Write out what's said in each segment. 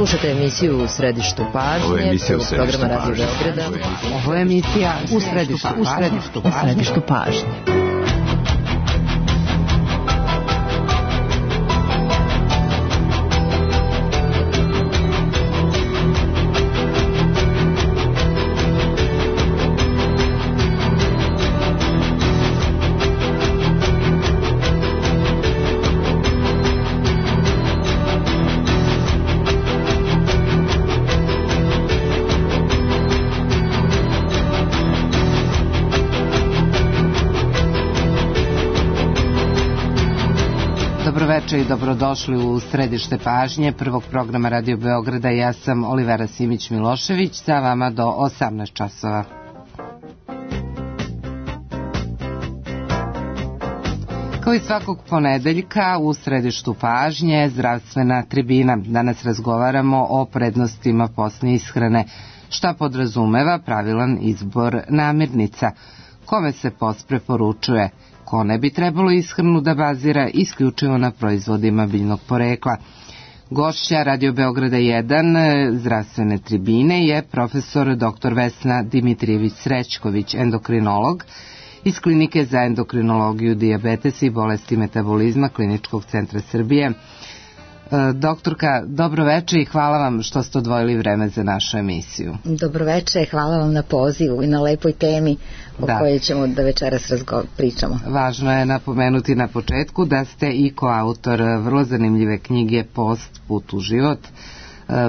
Slušate emisiju U središtu pažnje, programa Radio Beograda. Ovo je emisija U središtu pažnje. Dobroveče i dobrodošli u središte pažnje prvog programa Radio Beograda. Ja sam Olivera Simić-Milošević, sa vama do 18 časova. Kao i svakog ponedeljka u središtu pažnje zdravstvena tribina. Danas razgovaramo o prednostima posne ishrane, šta podrazumeva pravilan izbor namirnica, kome se post preporučuje, ko ne bi trebalo ishranu da bazira isključivo na proizvodima biljnog porekla. Gošća Radio Beograda 1 zdravstvene tribine je profesor dr. Vesna Dimitrijević-Srećković, endokrinolog iz Klinike za endokrinologiju, dijabetes i bolesti metabolizma Kliničkog centra Srbije. Doktorka, dobroveče i hvala vam što ste odvojili vreme za našu emisiju. Dobroveče, hvala vam na pozivu i na lepoj temi o kojoj ćemo da večeras pričamo. Važno je napomenuti na početku da ste i koautor vrlo zanimljive knjige Post, put u život.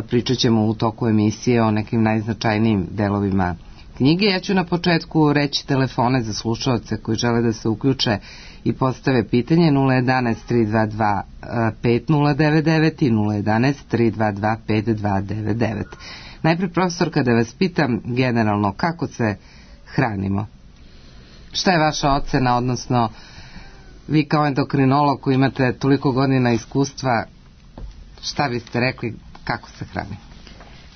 Pričat ćemo u toku emisije o nekim najznačajnijim delovima knjige. Ja ću na početku reći telefone za slušaoce koji žele da se uključe i postave pitanje 011-322-5099 i 011-322-5299. Najprej, profesorka, da vas pitam generalno kako se hranimo. Šta je vaša ocena, odnosno vi kao endokrinolog koji imate toliko godina iskustva, šta biste rekli kako se hrani?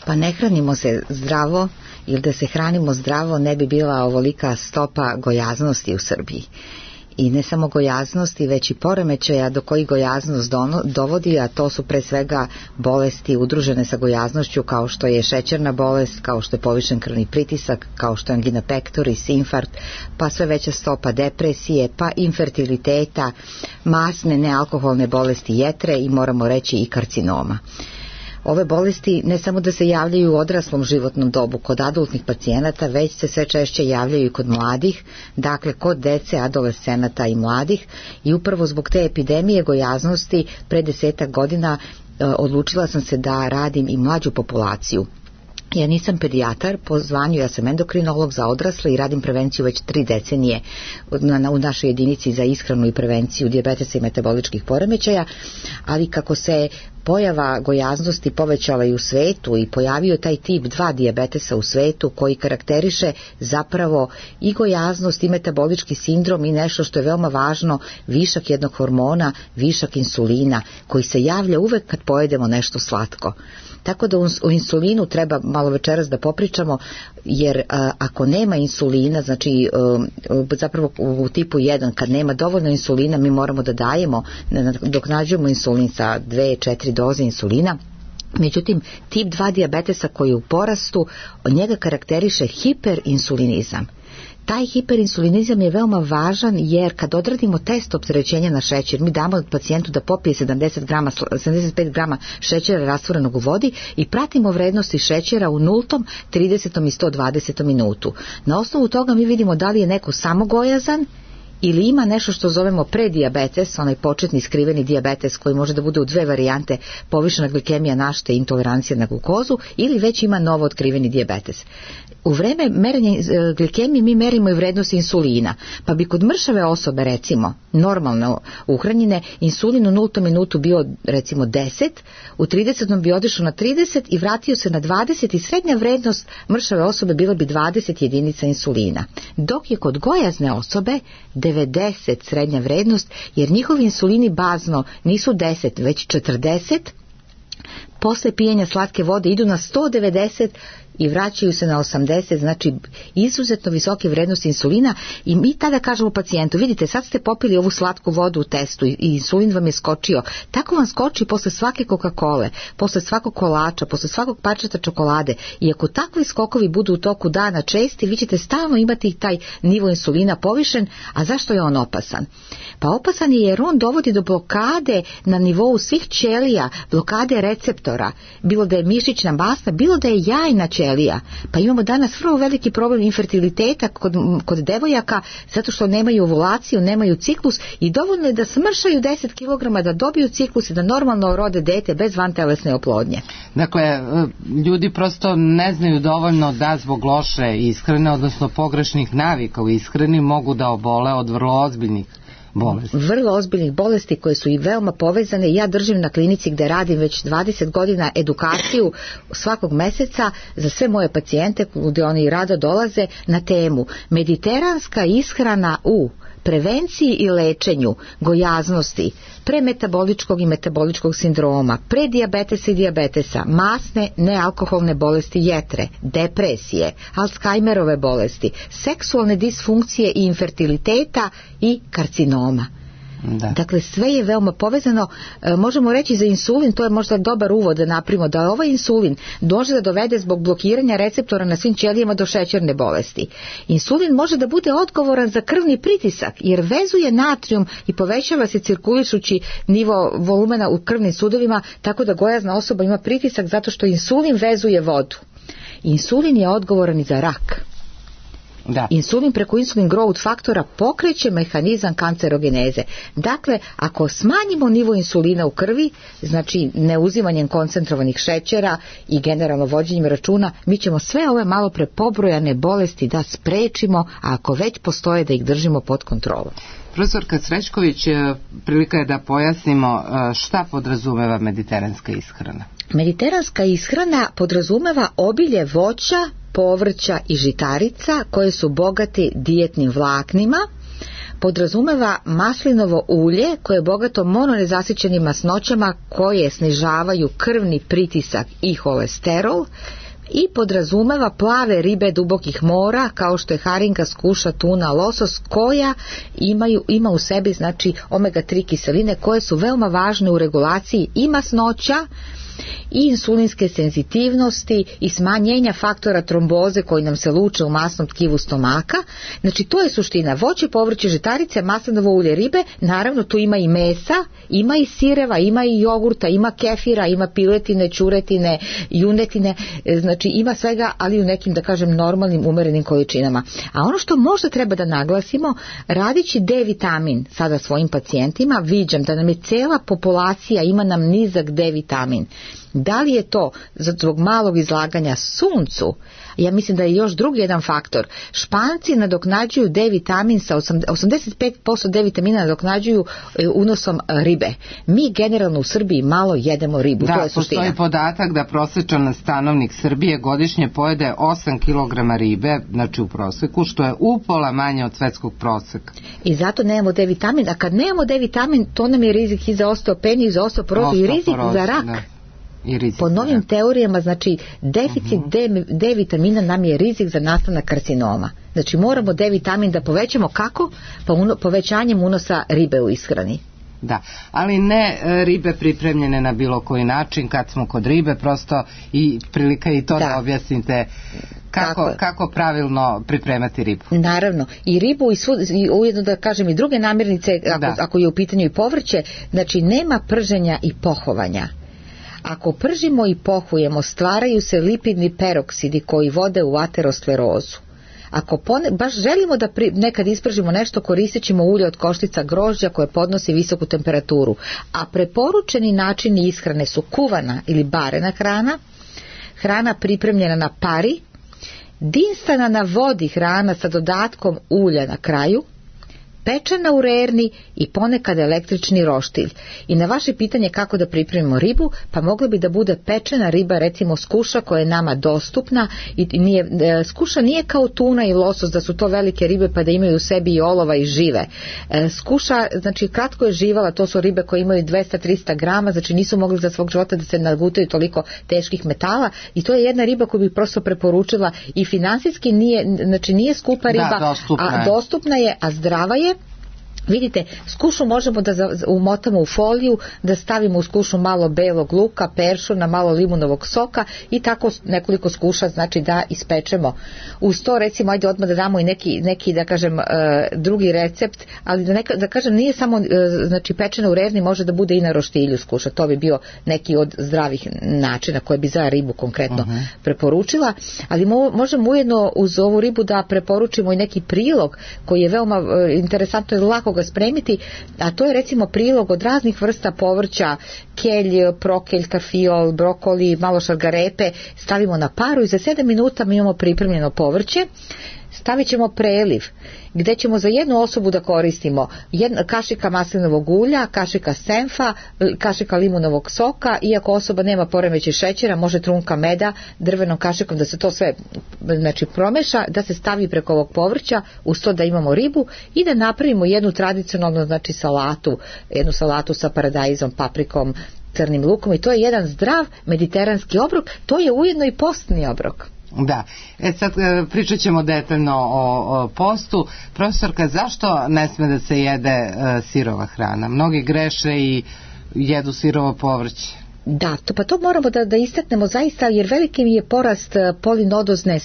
Pa ne hranimo se zdravo, ili da se hranimo zdravo ne bi bila ovolika stopa gojaznosti u Srbiji. I ne samo gojaznosti, već i poremećaja do kojih gojaznost dovodi, a to su pre svega bolesti udružene sa gojaznošću, kao što je šećerna bolest, kao što je povišen krvni pritisak, kao što je angina pectoris, infarkt, pa sve veća stopa depresije, pa infertiliteta, masne nealkoholne bolesti jetre i moramo reći i karcinoma. Ove bolesti ne samo da se javljaju u odraslom životnom dobu kod adultnih pacijenata, već se sve češće javljaju i kod mladih, dakle kod dece, adolescenata i mladih, i upravo zbog te epidemije gojaznosti pre 10 godina odlučila sam se da radim i mlađu populaciju. Ja nisam pedijatar po zvanju, ja sam endokrinolog za odrasle i radim prevenciju već 3 decenije u našoj jedinici za ishranu i prevenciju dijabetesa i metaboličkih poremećaja, ali kako se pojava gojaznosti povećala i u svetu i pojavio taj tip 2 dijabetesa u svetu koji karakteriše zapravo i gojaznost i metabolički sindrom i nešto što je veoma važno, višak jednog hormona, višak insulina koji se javlja uvek kad pojedemo nešto slatko. Tako da o insulinu treba malo večeras da popričamo, jer ako nema insulina, znači zapravo u tipu 1, kad nema dovoljno insulina, mi moramo da dajemo, dok nađemo insulin sa 2-4 doze insulina. Međutim, tip 2 dijabetesa koji je u porastu, od njega karakteriše hiperinsulinizam. Taj hiperinsulinizam je veoma važan jer kad odradimo test opterećenja na šećer, mi damo pacijentu da popije 75 grama šećera rastvorenog u vodi i pratimo vrednosti šećera u 0., 30. i 120. minutu. Na osnovu toga mi vidimo da li je neko samogojazan ili ima nešto što zovemo predijabetes, onaj početni skriveni dijabetes koji može da bude u 2 varijante, povišena glikemija našte i intolerancija na glukozu, ili već ima novo otkriveni dijabetes. U vreme merenja glikemije mi merimo i vrednost insulina, pa bi kod mršave osobe, recimo normalno uhranjene, insulin u 0. minutu bio recimo 10, u 30. bi otišao na 30 i vratio se na 20 i srednja vrednost mršave osobe bila bi 20 jedinica insulina. Dok je kod gojazne osobe 90 srednja vrednost, jer njihovi insulini bazno nisu 10 već 40, posle pijenja slatke vode idu na 190 i vraćaju se na 80, znači izuzetno visoke vrednosti insulina i mi tada kažemo pacijentu, vidite, sad ste popili ovu slatku vodu u testu i insulin vam je skočio, tako vam skoči posle svake Coca-Cole, posle svakog kolača, posle svakog parčeta čokolade i ako takvi skokovi budu u toku dana česti, vi ćete stalno imati taj nivo insulina povišen, a zašto je on opasan? Pa opasan je jer on dovodi do blokade na nivou svih ćelija, blokade receptora, bilo da je mišićna masa, bilo da je jajna ćelija. Pa imamo danas vrlo veliki problem infertiliteta kod devojaka zato što nemaju ovulaciju, nemaju ciklus i dovoljno je da smršaju 10 kg da dobiju ciklus i da normalno rode dete bez vantelesne oplodnje. Dakle, ljudi prosto ne znaju dovoljno da zbog loše ishrane, odnosno pogrešnih navika u ishrani mogu da obole od vrlo ozbiljnih bolesti. Vrlo ozbiljnih bolesti koje su i veoma povezane. Ja držim na klinici gde radim već 20 godina edukaciju svakog meseca za sve moje pacijente gde oni rado dolaze na temu mediteranska ishrana u prevenciji i lečenju gojaznosti, premetaboličkog i metaboličkog sindroma, predijabetesa i dijabetesa, masne nealkoholne bolesti jetre, depresije, Alzheimerove bolesti, seksualne disfunkcije i infertiliteta i karcinoma. Da. Dakle, sve je veoma povezano. Možemo reći za insulin, to je možda dobar uvod da napravimo, da ovaj insulin može da dovede zbog blokiranja receptora na svim ćelijama do šećerne bolesti. Insulin može da bude odgovoran za krvni pritisak jer vezuje natrijum i povećava se cirkulišući nivo volumena u krvnim sudovima, tako da gojazna osoba ima pritisak zato što insulin vezuje vodu. Insulin je odgovoran i za rak. Da. Insulin preko insulin growth faktora pokreće mehanizam kancerogeneze. Dakle, ako smanjimo nivo insulina u krvi, znači neuzimanjem koncentrovanih šećera i generalno vođenjem računa, mi ćemo sve ove malo pre pobrojane bolesti da sprečimo, a ako već postoje da ih držimo pod kontrolom. Profesorka Srećković, prilika je da pojasnimo šta podrazumeva mediteranska ishrana. Mediteranska ishrana podrazumeva obilje voća, povrća i žitarica koje su bogate dijetnim vlaknima, podrazumeva maslinovo ulje koje je bogato mononezasićenim masnoćama koje snižavaju krvni pritisak i holesterol i podrazumeva plave ribe dubokih mora kao što je haringa, skuša, tuna, losos koja ima u sebi znači omega-3 kiseline koje su veoma važne u regulaciji i masnoća i insulinske senzitivnosti i smanjenja faktora tromboze koji nam se luče u masnom tkivu stomaka. Znači to je suština. Voće, povrće, žitarice, maslinovo ulje, ribe, naravno tu ima i mesa, ima i sireva, ima i jogurta, ima kefira, ima piletine, ćuretine, junetine, znači ima svega, ali u nekim, da kažem, normalnim, umerenim količinama. A ono što možda treba da naglasimo, radići D vitamin sada svojim pacijentima, viđam da nam je cela populacija, ima nam nizak D vitamin. Da li je to zbog malog izlaganja suncu? Ja mislim da je još drugi jedan faktor. Španci nadoknađuju D vitamin sa 85% D vitamina nadoknađuju unosom ribe. Mi generalno u Srbiji malo jedemo ribu. Da, to je suština. Postoji podatak da prosječan stanovnik Srbije godišnje pojede 8 kg ribe, znači u proseku, što je upola manje od svetskog proseka. I zato nemamo D vitamin, a kad nemamo D vitamin, to nam je rizik i za osteopeniju, i za osteoporozu, i rizik za rak. Da. Po novim teorijama, znači deficit D vitamina nam je rizik za nastanak karcinoma. Znači moramo D vitamin da povećamo kako? Pa povećanjem unosa ribe u ishrani. Da, ali ne ribe pripremljene na bilo koji način, kad smo kod ribe, prosto i prilika i to da objasnite kako pravilno pripremati ribu. Naravno, i ribu i ujedno da kažem i druge namirnice, ako je u pitanju i povrće, znači nema prženja i pohovanja. Ako pržimo i pohujemo, stvaraju se lipidni peroksidi koji vode u aterosklerozu. Ako baš želimo da nekad ispržimo nešto, koristit ćemo ulje od koštica grožđa koje podnosi visoku temperaturu. A preporučeni načini ishrane su kuvana ili barena hrana, hrana pripremljena na pari, dinsana na vodi hrana sa dodatkom ulja na kraju, pečena u rerni i ponekad električni roštilj. I na vaše pitanje kako da pripremimo ribu, pa mogla bi da bude pečena riba, recimo skuša koja je nama dostupna i skuša nije kao tuna i losos da su to velike ribe pa da imaju u sebi i olova i žive. Skuša, znači kratko je živala, to su ribe koje imaju 200-300 grama, znači nisu mogli za svog života da se nagutaju toliko teških metala i to je jedna riba koju bih prosto preporučila i finansijski nije skupa riba, dostupna je, a zdrava je. Vidite, skušu možemo da umotamo u foliju, da stavimo u skušu malo belog luka, peršuna, malo limunovog soka i tako nekoliko skuša, znači da ispečemo. Uz to recimo, ajde odmah da damo i neki da kažem drugi recept, ali da kažem nije samo znači pečena u rerni, može da bude i na roštilju skuša, to bi bio neki od zdravih načina koje bi za ribu konkretno preporučila, ali možemo ujedno uz ovu ribu da preporučimo i neki prilog koji je veoma interesantno i lako ga spremiti, a to je recimo prilog od raznih vrsta povrća, kelj, prokelj, karfiol, brokoli, malo šargarepe, stavimo na paru i za 7 minuta mi imamo pripremljeno povrće. Stavit ćemo preliv gdje ćemo za jednu osobu da koristimo kašika maslinovog ulja, kašika senfa, kašika limunovog soka, iako osoba nema poremećaj šećera, može trunka meda, drvenom kašikom da se to sve znači promeša, da se stavi preko ovog povrća, uz to da imamo ribu i da napravimo jednu tradicionalnu znači jednu salatu sa paradajzom, paprikom, crnim lukom i to je jedan zdrav mediteranski obrok, to je ujedno i postni obrok. Da, sad pričat ćemo detaljno o postu. Profesorka, zašto ne sme da se jede sirova hrana? Mnogi greše i jedu sirovo povrće. Da, to moramo da istaknemo zaista, jer veliki mi je porast polinodozne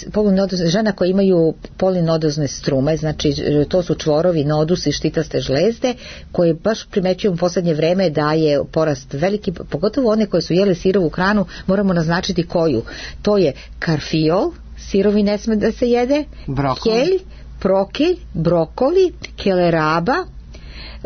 žena koje imaju polinodozne strume, znači to su čvorovi, nodusi, štitaste žlezde, koje baš primećujem u posljednje vreme da je porast veliki, pogotovo one koje su jele sirovu hranu, moramo naznačiti koju. To je karfiol, sirovi ne sme da se jede, kelj, prokelj, brokoli, keleraba,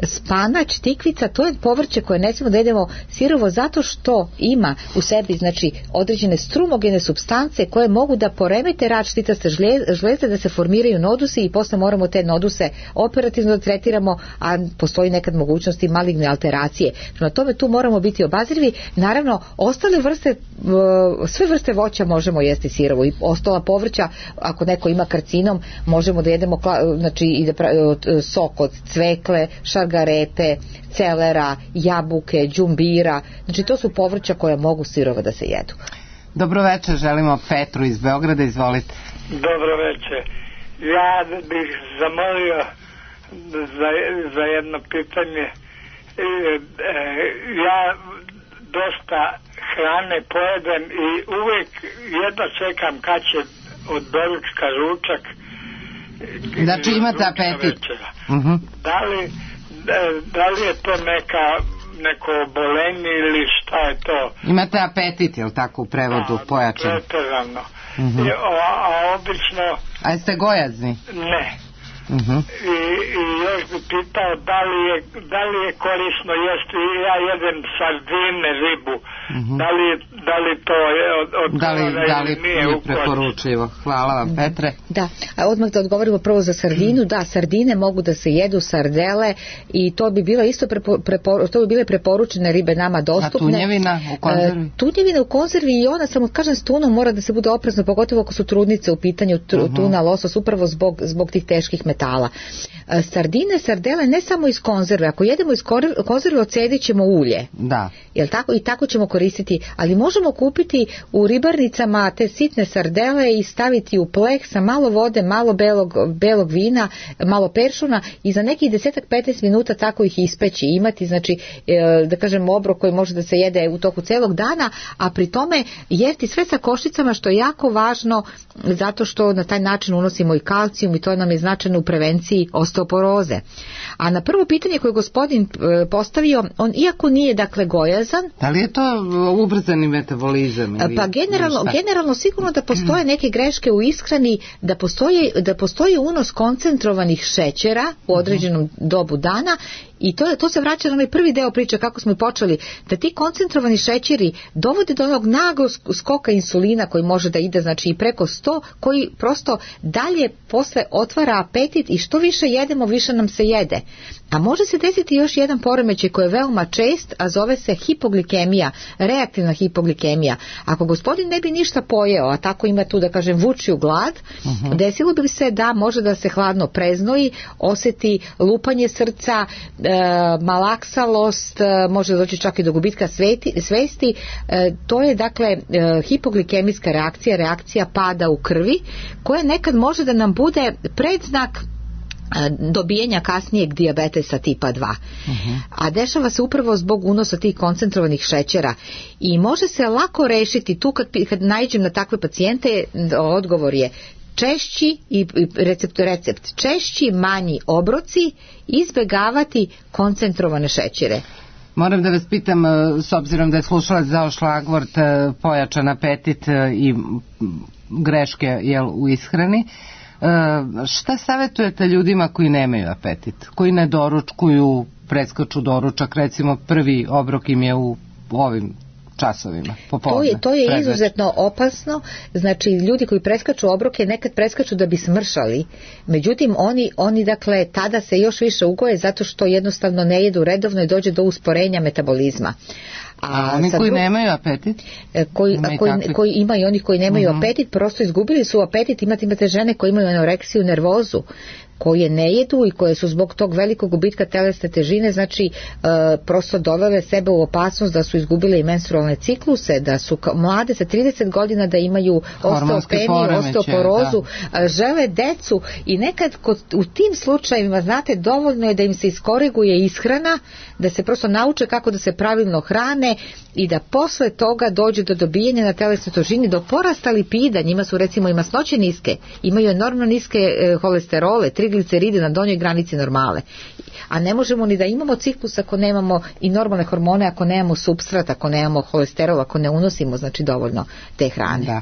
spanać, tikvica, to je povrće koje ne smemo da jedemo sirovo zato što ima u sebi znači određene strumogene supstance koje mogu da poremete rad štitaste žlezde, da se formiraju nodusi i posle moramo te noduse operativno da tretiramo, a postoji nekad mogućnosti maligne alteracije. Prema tome tu moramo biti obazrivi. Naravno, ostale vrste, sve vrste voća možemo jesti sirovo i ostala povrća, ako neko ima karcinom, možemo da jedemo znači i da sok od cvekle, šargarepe, celera, jabuke, đumbira, znači to su povrća koja mogu sirovo da se jedu. Dobro večer, želimo Petru iz Beograda, izvolite. Dobro večer. Ja bih zamolio za jedno pitanje. Ja dosta hrane pojedem i uvijek jedno čekam kad će od doručka ručak. Znači imate apetit. Da li je to neko obolenje ili šta je to? Imate apetit, je li tako u prevodu pojačan? Pretjerano. A obično... A jeste gojazni? Ne. I još bi pitao da li je korisno jesti, ja jedem sardine, ribu, da li to je od da li nije preporučivo. Hvala vam, Petre. Da, a odmah da odgovorimo prvo za sardinu. Da, sardine mogu da se jedu, sardele, i to bi bilo isto to bi bile preporučene ribe nama dostupne. A tunjevina u konzervi? Tunjevina u konzervi i ona, samo kažem, s tunom mora da se bude oprezno, pogotovo ako su trudnice u pitanju, tuna, losos, upravo zbog tih teških metala. Sardine, sardele ne samo iz konzerve, ako jedemo iz konzerve ocedit ćemo ulje. Da. Jel tako? I tako ćemo koristiti, ali možemo kupiti u ribarnicama te sitne sardele i staviti u pleh sa malo vode, malo belog vina, malo peršuna i za nekih 10-15 minuta tako ih ispeći, imati, znači da kažem obrok koji može da se jede u toku celog dana, a pri tome jesti sve sa košticama, što je jako važno zato što na taj način unosimo i kalcijum i to nam je značajno u prevenciji osteoporoze. A na prvo pitanje koje gospodin postavio, on iako nije dakle gojazan. Da li je to ubrzani metabolizam? Pa generalno sigurno da postoje neke greške u ishrani, da postoji unos koncentrovanih šećera u određenom dobu dana I to se vraća na onaj prvi deo priče kako smo počeli, da ti koncentrovani šećeri dovode do onog naglog skoka insulina koji može da ide znači i preko 100, koji prosto dalje posle otvara apetit i što više jedemo, više nam se jede. A može se desiti još jedan poremećaj koji je veoma čest, a zove se hipoglikemija, reaktivna hipoglikemija. Ako gospodin ne bi ništa pojeo, a tako ima tu da kažem vučiju glad, desilo bi se da može da se hladno preznoji, osjeti lupanje srca, malaksalost, može doći čak i do gubitka svesti. To je dakle hipoglikemijska reakcija pada u krvi, koja nekad može da nam bude predznak dobijenja kasnijeg dijabetesa tipa 2. A dešava se upravo zbog unosa tih koncentrovanih šećera i može se lako rešiti tu kad naiđem na takve pacijente. Odgovor je češći i recept češći, manji obroci, izbegavati koncentrovane šećere. Moram da vas pitam, s obzirom da je slušalac dao šlagvort pojačan apetit i greške u ishrani, šta savjetujete ljudima koji nemaju apetit, koji ne doručkuju, preskaču doručak, recimo prvi obrok im je u ovim časovima popodne? To je izuzetno opasno. Znači ljudi koji preskaču obroke nekad preskaču da bi smršali, međutim oni dakle tada se još više ugoje zato što jednostavno ne jedu redovno i dođe do usporenja metabolizma. A oni koji nemaju apetit? Koji imaju, oni koji nemaju apetit prosto izgubili su apetit. Imate žene koje imaju anoreksiju, nervozu, koje ne jedu i koje su zbog tog velikog gubitka telesne težine, znači prosto dovele sebe u opasnost da su izgubile i menstrualne cikluse, da su mlade sa 30 godina da imaju osteopeniju, osteoporozu, žele decu i nekad u tim slučajevima, znate, dovoljno je da im se iskoriguje ishrana, da se prosto nauče kako da se pravilno hrane i da posle toga dođe do dobijenja na telesnoj težini, do porasta lipida. Njima su recimo i masnoće niske, imaju enormno niske holesterole, trigliceride na donjoj granici normale. A ne možemo ni da imamo ciklus ako nemamo i normalne hormone, ako nemamo supstrat, ako nemamo holesterol, ako ne unosimo znači dovoljno te hrane. Da.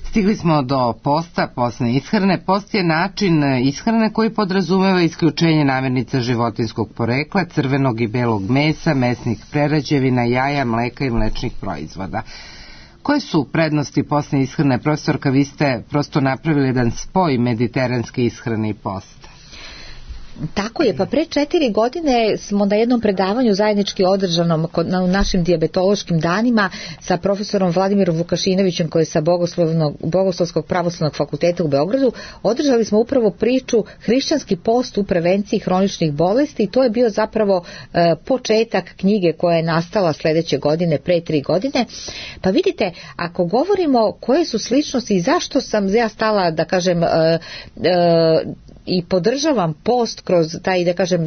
Stigli smo do posta, postne ishrane. Post je način ishrane koji podrazumeva isključenje namirnica životinskog porekla, crvenog i belog mesa, mesnih prerađevina, jaja, mleka i mlečnih proizvoda. Koje su prednosti postne ishrane? Profesorka, vi ste prosto napravili jedan spoj mediteranske ishrane i posta. Tako je, pa pre 4 godine smo na jednom predavanju zajednički održanom u našim dijabetološkim danima sa profesorom Vladimirom Vukašinovićem koji je sa Bogoslovskog pravoslavnog fakulteta u Beogradu, održali smo upravo priču hrišćanski post u prevenciji hroničnih bolesti i to je bio zapravo početak knjige koja je nastala sledeće godine, pre 3 godine. Pa vidite, ako govorimo koje su sličnosti i zašto sam ja stala da kažem i podržavam post kroz taj, da kažem,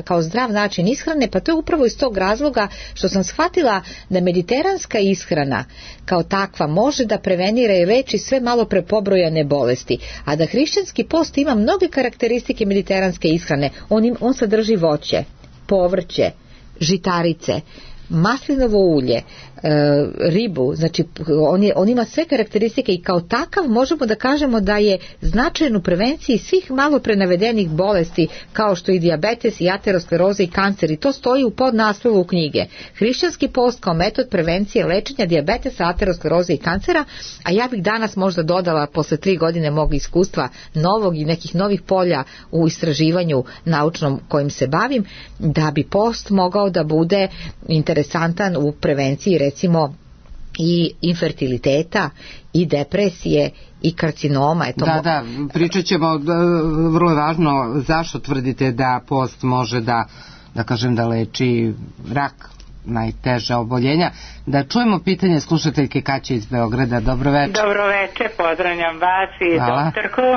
kao zdrav način ishrane, pa to je upravo iz tog razloga što sam shvatila da mediteranska ishrana kao takva može da prevenira i leči sve malo prepobrojane bolesti, a da hrišćanski post ima mnoge karakteristike mediteranske ishrane. On sadrži voće, povrće, žitarice, maslinovo ulje, ribu, znači on ima sve karakteristike i kao takav možemo da kažemo da je značajan u prevenciji svih malo prenavedenih bolesti kao što i dijabetes i ateroskleroza i kancer i to stoji u podnaslovu knjige. Hrišćanski post kao metod prevencije lečenja dijabetesa, ateroskleroze i kancera, a ja bih danas možda dodala posle 3 godine mog iskustva novog i nekih novih polja u istraživanju naučnom kojim se bavim, da bi post mogao da bude interesantan u prevenciji recimo i infertiliteta i depresije i karcinoma. Da, pričat ćemo, vrlo je važno zašto tvrdite da post može da kažem da leči rak, najteža oboljenja. Da čujemo pitanje slušateljke Kaće iz Beograda. Dobro večer. Dobro večer, pozdravljam vas i doktorku.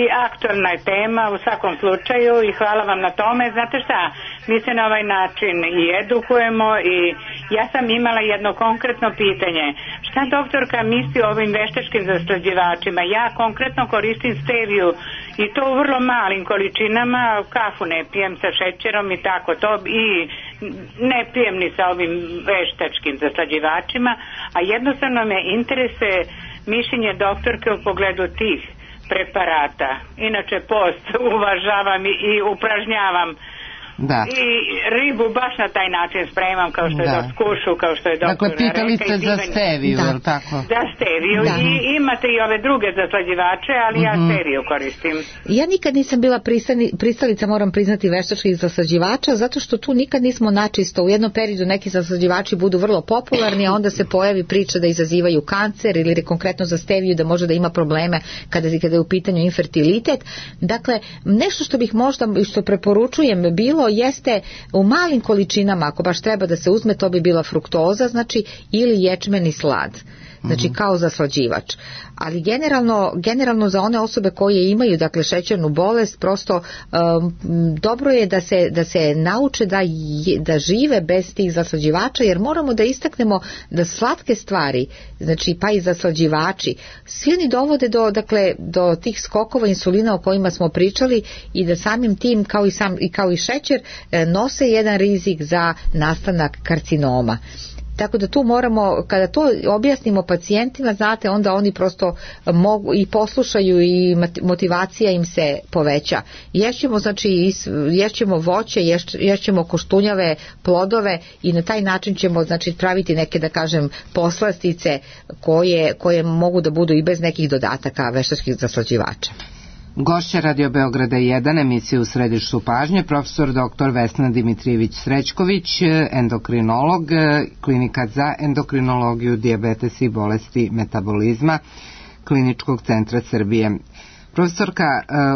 I aktualna je tema u svakom slučaju i hvala vam na tome. Znate šta, mi se na ovaj način i edukujemo i ja sam imala jedno konkretno pitanje. Šta doktorka misli o ovim veštačkim zaslađivačima? Ja konkretno koristim steviju i to u vrlo malim količinama, kafu ne pijem sa šećerom i tako to i ne pijem ni sa ovim veštačkim zaslađivačima, a jednostavno me interesuje mišljenje doktorke u pogledu tih preparata. Inače post uvažavam i upražnjavam. Da. I ribu baš na taj način spremam, kao što je skušu, kao što je doktor. Dakle, pitali ste za steviju, je li tako? Za steviju. I imate i ove druge zaslađivače, ali ja steviju koristim. Ja nikad nisam bila pristalica, moram priznati, veštačkih zaslađivača, zato što tu nikad nismo načisto. U jednom periodu neki zaslađivači budu vrlo popularni, a onda se pojavi priča da izazivaju kancer ili konkretno za steviju da može da ima probleme kada je u pitanju infertilitet. Dakle, nešto što bih možda, što preporučujem bilo jeste u malim količinama, ako baš treba da se uzme, to bi bila fruktoza, znači, ili ječmeni slad, znači kao zaslađivač. Ali generalno za one osobe koje imaju, dakle, šećernu bolest, prosto dobro je da se nauče da žive bez tih zaslađivača, jer moramo da istaknemo da slatke stvari, znači pa i zaslađivači, svi oni dovode do tih skokova insulina o kojima smo pričali i da samim tim kao i šećer nose jedan rizik za nastanak karcinoma. Tako da tu moramo, kada to objasnimo pacijentima, znate, onda oni prosto mogu i poslušaju i motivacija im se poveća. Ješćemo voće, ješćemo koštunjave, plodove i na taj način ćemo, znači, praviti neke, da kažem, poslastice koje mogu da budu i bez nekih dodataka veštačkih zaslađivača. Gošća Radio Beograda 1, emisije U središtu pažnje, profesor dr. Vesna Dimitrijević-Srećković, endokrinolog, klinika za endokrinologiju, dijabetes i bolesti metabolizma Kliničkog centra Srbije. Profesorka,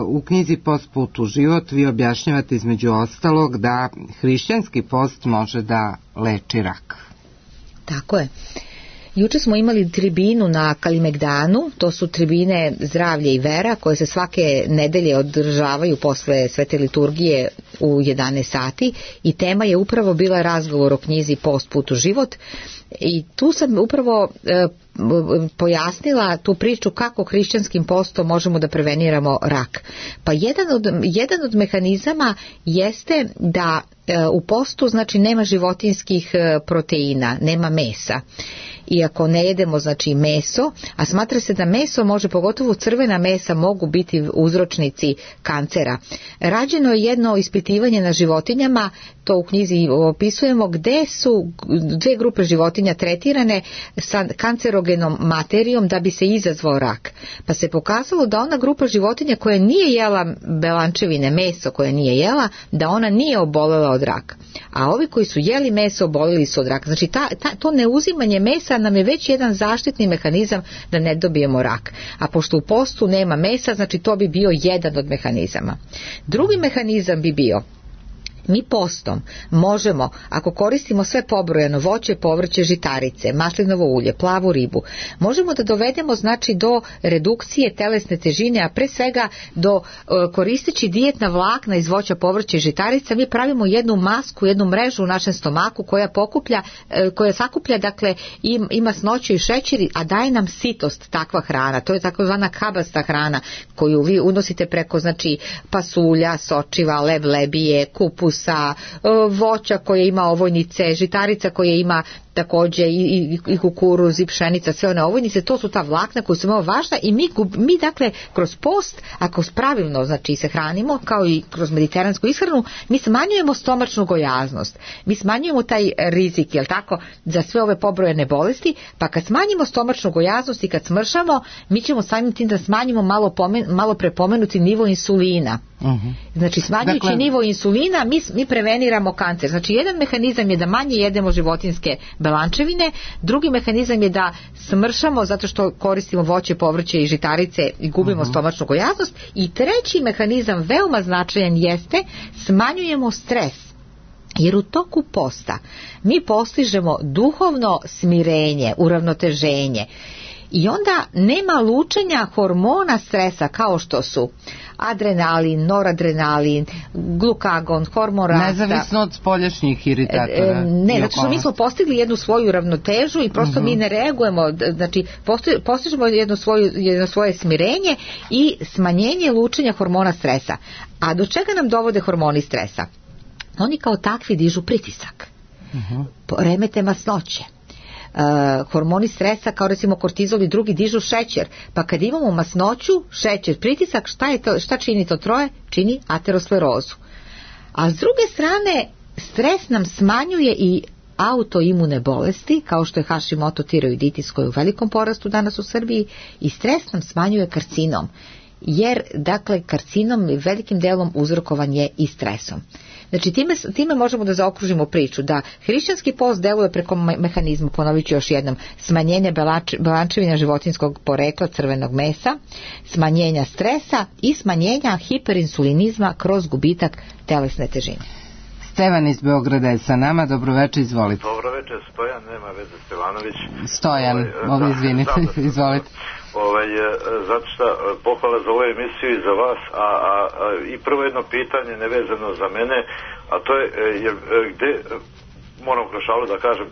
u knjizi Post put u život vi objašnjavate između ostalog da hrišćanski post može da leči rak. Tako je. Juče smo imali tribinu na Kalimegdanu, to su tribine zdravlje i vera koje se svake nedelje održavaju posle svete liturgije u 11 sati i tema je upravo bila razgovor o knjizi Post put u život i tu sam upravo pojasnila tu priču kako hrišćanskim postom možemo da preveniramo rak. Pa jedan od mehanizama jeste da u postu, znači, nema životinjskih proteina, nema mesa. I ako ne jedemo, znači, meso, a smatra se da meso može, pogotovo crvena mesa, mogu biti uzročnici kancera. Rađeno je jedno ispitivanje na životinjama, to u knjizi opisujemo, gde su 2 grupe životinja tretirane sa kancerogenom materijom da bi se izazvao rak. Pa se pokazalo da ona grupa životinja koja nije jela belančevine, meso koje nije jela, da ona nije obolela od raka. A ovi koji su jeli meso oboleli su od raka. Znači to neuzimanje mesa nam je već jedan zaštitni mehanizam da ne dobijemo rak. A pošto u postu nema mesa, znači to bi bio jedan od mehanizama. Drugi mehanizam bi bio, mi postom možemo, ako koristimo sve pobrojano, voće, povrće, žitarice, maslinovo ulje, plavu ribu, možemo da dovedemo, znači, do redukcije telesne težine, a pre svega do koristeći dijetna vlakna iz voća, povrća i žitarica, mi pravimo jednu masku, jednu mrežu u našem stomaku koja sakuplja, dakle, i masnoću i šećer, a daje nam sitost takva hrana. To je takozvana kabasta hrana koju vi unosite preko, znači, pasulja, sočiva, lebije, kupus, sa voća koje ima ovojnice, žitarica koje ima takođe i kukuruz i pšenica, sve one ovojnice, to su ta vlakna koja su veoma važna i mi dakle kroz post, ako pravilno, znači, se hranimo, kao i kroz mediteransku ishranu, mi smanjujemo stomačnu gojaznost, mi smanjujemo taj rizik, jel tako, za sve ove pobrojene bolesti, pa kad smanjimo stomačnu gojaznost i kad smršamo, mi ćemo samim tim da smanjimo malo prepomenuti nivo insulina. Znači, smanjujući nivo insulina mi preveniramo kancer. Znači, jedan mehanizam je da manje jedemo životinjske belančevine, drugi mehanizam je da smršamo zato što koristimo voće, povrće i žitarice i gubimo stomačnu gojaznost, i treći mehanizam veoma značajan jeste smanjujemo stres. Jer u toku posta mi postižemo duhovno smirenje, uravnoteženje i onda nema lučenja hormona stresa kao što su adrenalin, noradrenalin, glukagon, hormon rasta. Nezavisno od spoljašnjih iritatora. Ne, zato što mi smo postigli jednu svoju ravnotežu i prosto mi ne reagujemo, znači postižemo jedno svoje smirenje i smanjenje lučenja hormona stresa. A do čega nam dovode hormoni stresa? Oni kao takvi dižu pritisak, remete masnoće, hormoni stresa kao recimo kortizol i drugi dižu šećer, pa kad imamo masnoću, šećer, pritisak, šta čini to troje? Čini aterosklerozu. A s druge strane, stres nam smanjuje i autoimune bolesti, kao što je Hashimoto tiroiditis koji je u velikom porastu danas u Srbiji, i stres nam smanjuje karcinom, jer dakle karcinom velikim delom uzrokovan je i stresom. Znači time možemo da zaokružimo priču da hrišćanski post deluje preko mehanizma, ponovit ću još jednom, smanjenja belančevina životinjskog porekla crvenog mesa, smanjenja stresa i smanjenja hiperinsulinizma kroz gubitak telesne težine. Stevan iz Beograda je sa nama, dobroveče, izvolite. Dobroveče, Stojan, nema veze Stevanović. Stojan, izvinite, izvolite. Zato što pohvala za ovu emisiju i za vas, i prvo jedno pitanje nevezano za mene, a to je gde, moram kroz šalu da kažem,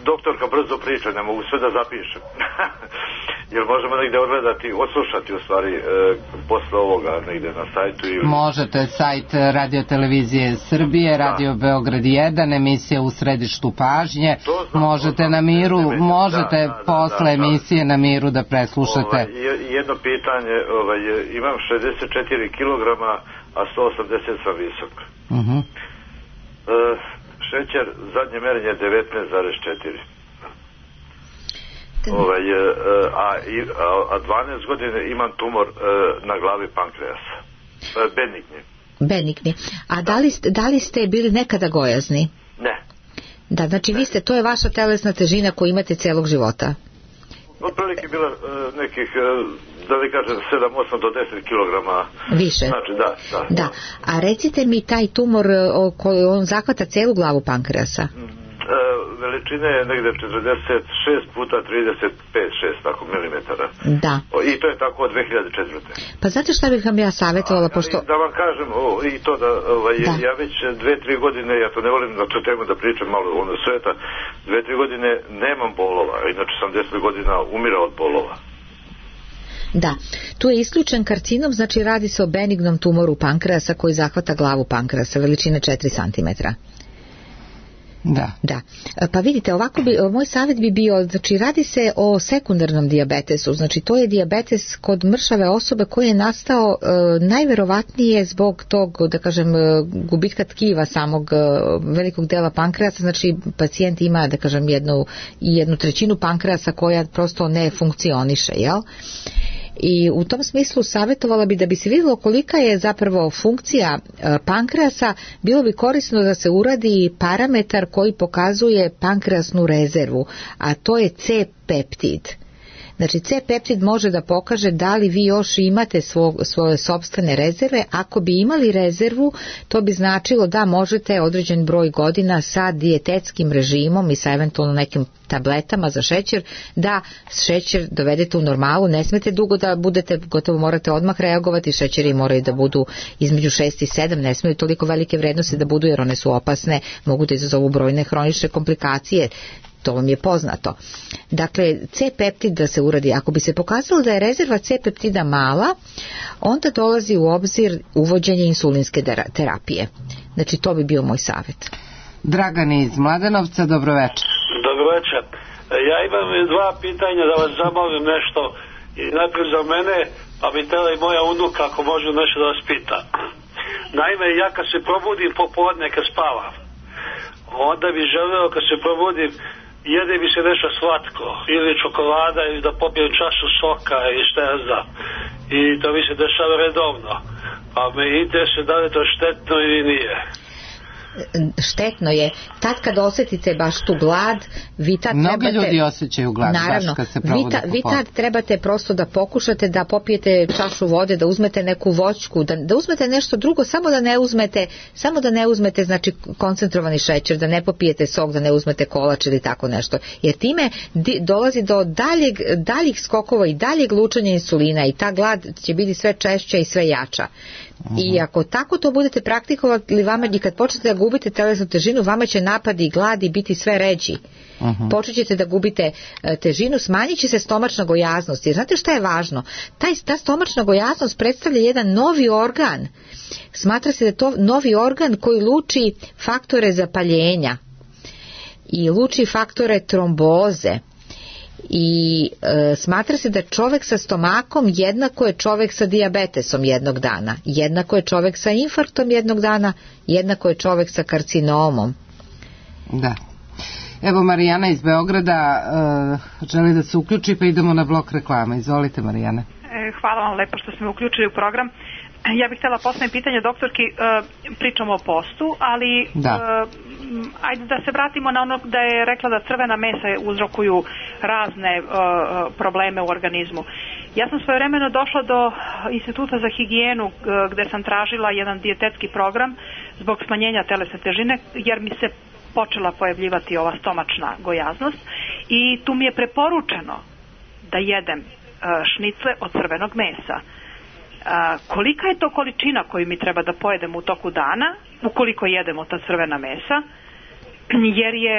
doktorka brzo priča, ne mogu sve da zapišem. Jer možemo negde odgledati, odslušati u stvari posle ovoga negde na sajtu ili... Možete, sajt Radio-televizije Srbije, Radio Beograd 1, emisija U središtu pažnje, možete na miru, možete posle emisije na miru da preslušate. Jedno pitanje, imam 64 kg, a 180 sam visok. Šećer, zadnje merenje je 19,4. A 12 godina imam tumor na glavi pankreasa. Benigni. A da li ste bili nekada gojazni? Ne. Da, znači vi ste, to je vaša telesna težina koju imate celog života? Otprilike bila nekih, da li kažem, 7, 8 do 10 kilograma. Više? Znači, da. A recite mi, taj tumor, on zahvata celu glavu pankreasa? Veličine je negde 46 puta 35-6 tako milimetara. Da. I to je tako od 2004. Pa znate šta bih vam ja savjetovala, pošto... Da vam kažem, i to da, ja već 2-3 godine, ja to ne volim na tu temu da pričam malo ono sveta, 2-3 godine nemam bolova, inače sam 10 godina umirao od bolova. Da, tu je isključen karcinom, znači radi se o benignom tumoru pankreasa koji zahvata glavu pankreasa, veličine 4 cm. Da. Pa vidite, ovako moj savjet bi bio, znači radi se o sekundarnom dijabetesu, znači to je dijabetes kod mršave osobe koji je nastao najverovatnije zbog tog, da kažem, gubitka tkiva samog velikog dela pankreasa, znači pacijent ima, da kažem, jednu trećinu pankreasa koja prosto ne funkcioniše, jel? I u tom smislu savjetovala bi da bi se vidjelo kolika je zapravo funkcija pankreasa, bilo bi korisno da se uradi parametar koji pokazuje pankreasnu rezervu, a to je C-peptid. Znači C-peptid može da pokaže da li vi još imate svoje sopstvene rezerve. Ako bi imali rezervu, to bi značilo da možete određen broj godina sa dijetetskim režimom i sa eventualno nekim tabletama za šećer, da šećer dovedete u normalu. Ne smete dugo da budete, gotovo morate odmah reagovati, šećeri moraju da budu između 6 i 7, ne smiju toliko velike vrednosti da budu jer one su opasne, mogu da izazovu brojne hronične komplikacije. To vam je poznato. Dakle, C-peptid da se uradi. Ako bi se pokazalo da je rezerva C-peptida mala, onda dolazi u obzir uvođenje insulinske terapije. Znači, to bi bio moj savjet. Dragan iz Mladenovca, dobroveče. Dobroveče. Ja imam 2 pitanja da vas zamolim nešto. I najprije za mene, pa bi tela i moja unuka ako može nešto da vas pita. Naime, ja kad se probudim popodne, kad spavam, onda bi želeo kad se probudim jede bi se nešto slatko, ili čokolada, ili da popijem čašu soka i šta ja znam. I to mi se dešava redovno. Pa me interesuje da li je to štetno ili nije. Štetno je. Tad kad osjetite baš tu glad, vi tad mnogi ljudi osjećaju glad. Naravno, vi tad trebate prosto da pokušate da popijete čašu vode, da uzmete neku voćku, da uzmete nešto drugo, samo da ne uzmete znači koncentrovani šećer, da ne popijete sok, da ne uzmete kolač ili tako nešto. Jer time dolazi do daljih skokova i daljeg lučenja insulina i ta glad će biti sve češća i sve jača. I ako tako to budete praktikovali, vama i kad počnete da gubite telesnu težinu, vama će napadi i gladi biti sve ređi. Počet ćete da gubite težinu, smanjit će se stomačna gojaznost. Jer znate šta je važno? Ta stomačna gojaznost predstavlja jedan novi organ. Smatra se da je to novi organ koji luči faktore zapaljenja. i luči faktore tromboze. I smatra se da čovek sa stomakom jednako je čovek sa dijabetesom jednog dana, jednako je čovek sa infarktom jednog dana, jednako je čovek sa karcinomom. Da. Evo Marijana iz Beograda želi da se uključi, pa idemo na blok reklama. Izvolite Marijane. Hvala vam lepo što ste me uključili u program. Ja bih htjela postaviti pitanje doktorki, pričamo o postu, ali ajde da se vratimo na ono da je rekla da crvena mesa uzrokuju razne probleme u organizmu. Ja sam svojevremeno došla do Instituta za higijenu gde sam tražila jedan dijetetski program zbog smanjenja telesne težine, jer mi se počela pojavljivati ova stomačna gojaznost i tu mi je preporučeno da jedem šnicle od crvenog mesa. Kolika je to količina koju mi treba da pojedem u toku dana ukoliko jedemo ta crvena mesa, jer je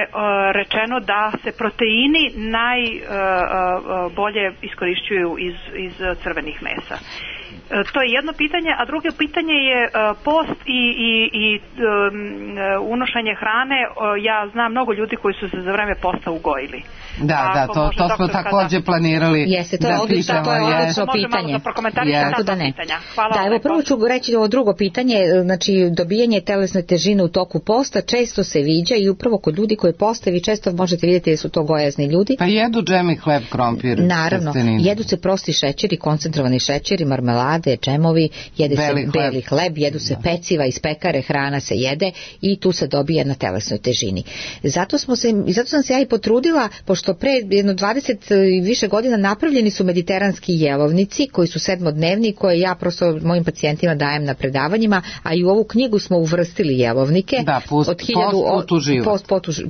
rečeno da se proteini najbolje iskorišćuju iz crvenih mesa. To je jedno pitanje, a drugo pitanje je post i unošenje hrane. Ja znam mnogo ljudi koji su se za vreme posta ugojili. Da, to smo također planirali. Jeste, to je odlično pitanje. Tako da ne. Da, evo prvo ću reći ovo drugo pitanje, znači dobijanje telesne težine u toku posta često se viđa i upravo kod ljudi koji poste vi često možete vidjeti da su to gojazni ljudi. Pa jedu džem i hleb, krompir. Naravno, jedu se prosti šećeri, koncentrovani šećeri, marmelade, džemovi, jede se beli hleb, jedu se peciva iz pekare, hrana se jede i tu se dobija na telesnoj težini. Zato sam se ja i potrudila, pošto pre jedno 20 i više godina napravljeni su mediteranski jelovnici koji su 7-dnevni, koje ja prosto mojim pacijentima dajem na predavanjima, a i u ovu knjigu smo uvrstili jelovnike. Da, post